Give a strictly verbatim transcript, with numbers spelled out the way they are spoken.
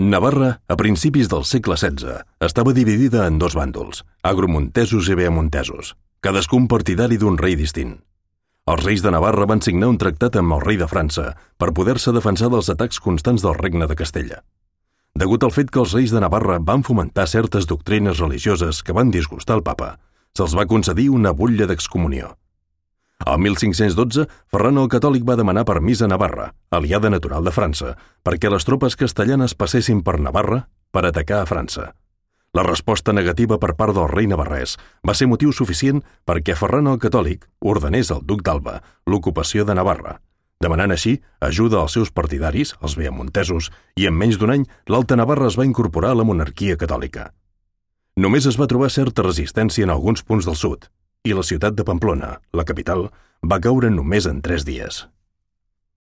Navarra, a principis del segle setze, estava dividida en dos bàndols, agromontesos i beamontesos, cadascun partidari d'un rei distint. Els reis de Navarra van signar un tractat amb el rei de França per poder-se defensar dels atacs constants del regne de Castella. Degut al fet que els reis de Navarra van fomentar certes doctrines religioses que van disgustar el papa, se'ls va concedir una butlla d'excomunió. El mil cinc-cents dotze, Ferran el Catòlic va demanar permís a Navarra, aliada natural de França, perquè les tropes castellanes passessin per Navarra per atacar a França. La resposta negativa per part del rei navarrès va ser motiu suficient perquè Ferran el Catòlic ordenés al duc d'Alba l'ocupació de Navarra, demanant així ajuda als seus partidaris, els beamontesos, i en menys d'un any l'Alta Navarra es va incorporar a la monarquia catòlica. Només es va trobar certa resistència en alguns punts del sud, i la ciutat de Pamplona, la capital, va caure només en tres dies.